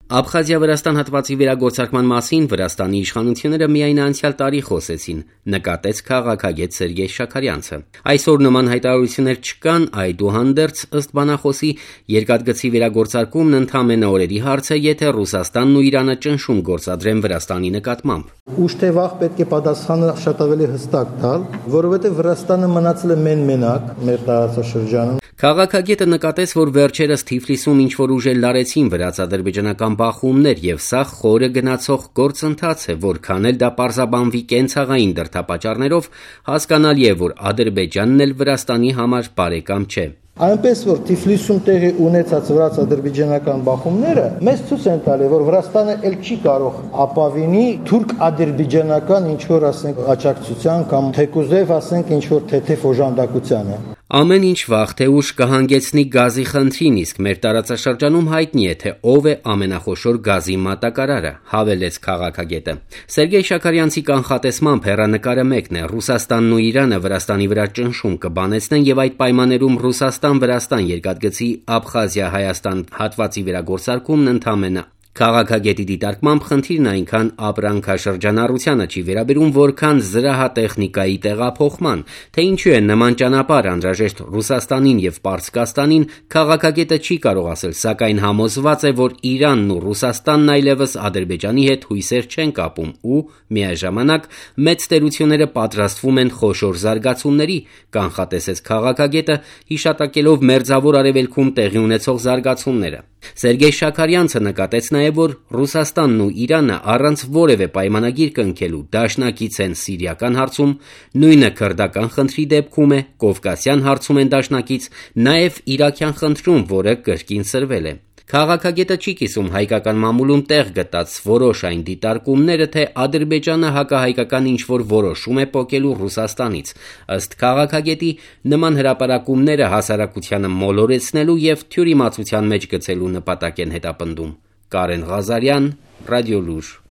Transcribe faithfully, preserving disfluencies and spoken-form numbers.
Աբխազիա-Վրաստան հատվածի վերագործարկման մասին Վրաստանի իշխանությունները միայն անցյալ տարի խոսեցին, նկատեց քաղաքագետ Սերգեյ Շաքարյանցը։ Այսօր նման հայտարարություններ չկան, այդուհանդերձ, ըստ բանախոսի, երկաթգծի վերագործարկումն ընդամենը օրերի հարց է, եթե Ռուսաստանն ու Իրանը ճնշում գործադրեն Վրաստանի նկատմամբ։ Ուշ թե վաղ պետք է պատասխանը շատ ավելի հստակ տալ, որովհետև Վրաստանը մնացել է մեն-մենակ մեր տարածաշրջանում։ Քաղաքագետը նկատեց, որ վերջերս Թիֆլիսում ինչ-որ ուժեր լարեցին վրաց-ադրբեջանական բախումներ եւ սա խորը գնացող գործընթաց է, որքան էլ դա պարզաբանվի կենցաղային դրդապատճառներով, հասկանալի է, որ Ադրբեջանն էլ Վրաստանի համար բարեկամ չէ։ Այնպես որ Թիֆլիսում տեղի ունեցած վրաց-ադրբեջանական բախումները մեզ ցույց են տալի, որ Վրաստանը ել չի կարող ապավինի թուրք-ադրբեջանական ինչ-որ ասենք աջակցության կամ թեկուզև ասենք ինչ-որ թեթև օժանդակությանը։ Ամեն ինչ վաղ թե ուշ կհանգեցնի գազի խնդրին, իսկ մեր տարածաշրջանում հայտնի է, թե ով է ամենախոշոր գազի մատակարարը, հավելեց քաղաքագետը։ Սերգեյ Շաքարյանցի կանխատեսմամբ հեռանկարը մեկն է՝ Ռուսաստանն ու Իրանը Վրաստանի վրա ճնշում կբանեցնեն եւ այդ պայմաններում Ռուսաստան-Վրաստան երկաթգծի Աբխազիա-Հայաստան հատվածի վերագործարկումն ընդամենը Քաղաքագետի դիտարկմամբ խնդիրն այնքան ապրանքաշրջանառությանը չի վերաբերում, որքան զրահատեխնիկայի տեղափոխման, թե ինչու է նման ճանապարհ անհրաժեշտ Ռուսաստանին եւ Պարսկաստանին, քաղաքագետը չի կարող ասել, սակայն համոզված է, որ Իրանն ու Ռուսաստանն այլևս Ադրբեջանի հետ հույսեր չեն կապում ու միաժամանակ մեծ տերությունները պատրաստվում են խոշոր զարգացումների, կանխատեսեց քաղաքագետը, հիշատակելով Մերձավոր Արևելքում տեղի ունեցող զարգացումները։ Սերգեյ Շաքարյանցը նկատեց նաև, որ Ռուսաստանն ու Իրանը առանց որևէ պայմանագիր կնքելու դաշնակից են սիրիական հարցում, նույնը քրդական խնդրի դեպքում է, կովկասյան հարցում են դաշնակից, նաև իրաքյան խնդրում, որը կրկին սրվել է։ Քաղաքագետը չի կիսում հայկական մամուլում տեղ գտած որոշ այն դիտարկումները, թե Ադրբեջանը հակահայկական ինչ-որ որոշում է պոկելու Ռուսաստանից։ Ըստ քաղաքագետի, նման հրապարակումները հասարակությանը մոլորեցնելու եւ թյուրիմացության մեջ գցելու նպատակ են հետապնդում։ Կարեն Ղազարյան, Ռադիոլուր։